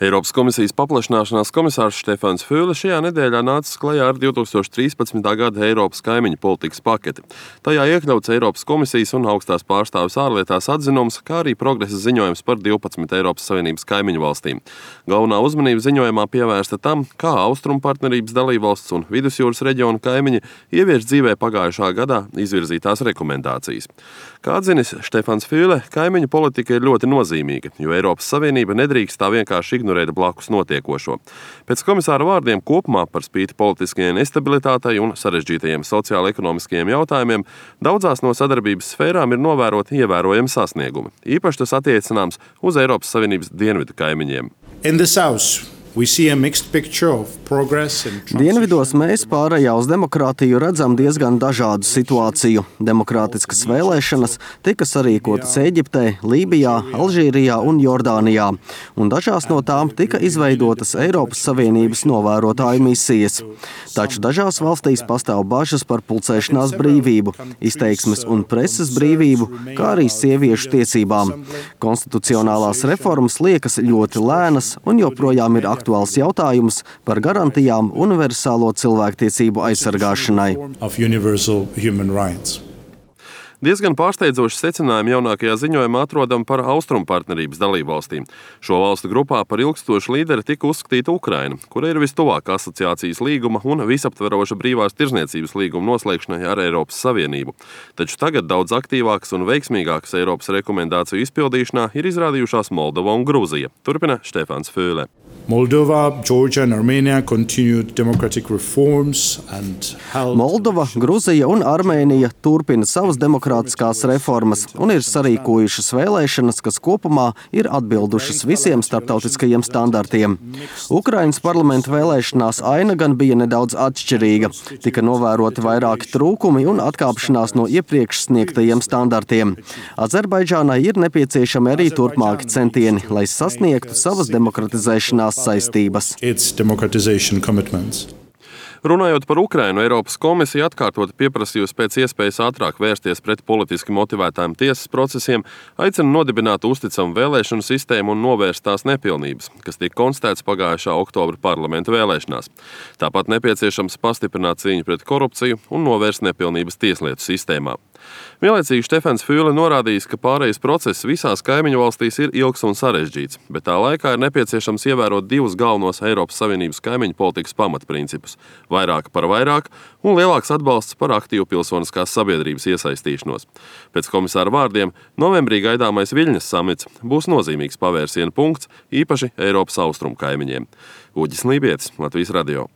Eiropas komisijas paplašināšanās komisārs Štefans Füle šajā nedēļā nācis klajā ar 2013. gada Eiropas kaimiņu politikas paketi. Tajā iekļauts Eiropas komisijas un augstās pārstāves ārlietās atzinums, kā arī progresa ziņojums par 12 Eiropas Savienības kaimiņu valstīm. Galvenā uzmanība ziņojumā pievērsta tam, kā Austrumu partnerības dalībvalsts un Vidusjūras reģiona kaimiņi ievieš dzīvē pagājušā gadā izvirzītās rekomendācijas. Kā atzinis Štefans Füle, kaimiņu politika ir ļoti nozīmīga, jo Eiropas Savienība nedrīkst tā vienkārši ignorēt blakus notiekošo. Pēc komisāra vārdiem kopumā par spīti politiskajai nestabilitātei un sarežģītajiem sociālo-ekonomiskajiem jautājumiem daudzās no sadarbības sfērām ir novēroti ievērojami sasniegumi. Īpaši tas attiecināms uz Eiropas Savienības dienvidu kaimiņiem. Dienvidos mēs pārējā uz demokrātiju redzam diezgan dažādu situāciju. Demokrātiskas vēlēšanas tika sarīkotas Ēģiptē, Lībijā, Alžīrijā un Jordānijā, un dažās no tām tika izveidotas Eiropas Savienības novērotāju misijas. Taču dažās valstīs pastāv bažas par pulcēšanās brīvību, izteiksmes un preses brīvību, kā arī sieviešu tiesībām. Konstitucionālās reformas liekas ļoti lēnas un joprojām ir aktuāls jautājums par garantijām universālo cilvēktiesību aizsargāšanai. Diezgan pārsteidzoši secinājumi jaunākajā ziņojumā atrodam par Austrumu partnerības dalībvalstīm. Šo valstu grupā par ilgstošu līderi tika uzskatīta Ukraina, kura ir vistuvāk asociācijas līguma un visaptveroša brīvās tirdzniecības līguma noslēgšanai ar Eiropas Savienību. Taču tagad daudz aktīvākas un veiksmīgākas Eiropas rekomendāciju izpildīšanā ir izrādījušās Moldova un Grūzija. Turpina Štefans Füle. Moldova, Georgia and Armenia continued democratic reforms and held... Moldova, Gruzija un Armēnija turpina savas demokrātiskās reformas un ir sarīkojušas vēlēšanas, kas kopumā ir atbildušas visiem starptautiskajiem standartiem. Ukrainas parlamenta vēlēšanās aina gan bija nedaudz atšķirīga. Tika novēroti vairāki trūkumi un atkāpšanās no iepriekš sniegtajiem standartiem. Azerbaidžānai ir nepieciešami arī turpmāki centieni, lai sasniegtu savas demokratizēšanās saistības. Runājot par Ukrainu, Eiropas komisija atkārtoti pieprasījusi pēc iespējas ātrāk vērsties pret politiski motivētām tiesas procesiem, aicina nodibināt uzticamu vēlēšanu sistēmu un novērst tās nepilnības, kas tika konstatēts pagājušā oktobra parlamenta vēlēšanās. Tāpat nepieciešams pastiprināt cīņu pret korupciju un novērst nepilnības tieslietu sistēmā. Vienlaicīgi Štefans Füle norādījis, ka pārejas process visās kaimiņu valstīs ir ilgs un sarežģīts, bet tā laikā ir nepieciešams ievērot divus galvenos Eiropas Savienības kaimiņu politikas pamatprincipus – vairāk par vairāk un lielāks atbalsts par aktīvu pilsoniskās sabiedrības iesaistīšanos. Pēc komisāra vārdiem, novembrī gaidāmais Viļņas samits būs nozīmīgs pavērsiena punkts īpaši Eiropas austrumu kaimiņiem. Uģis Lībietis, Latvijas radio.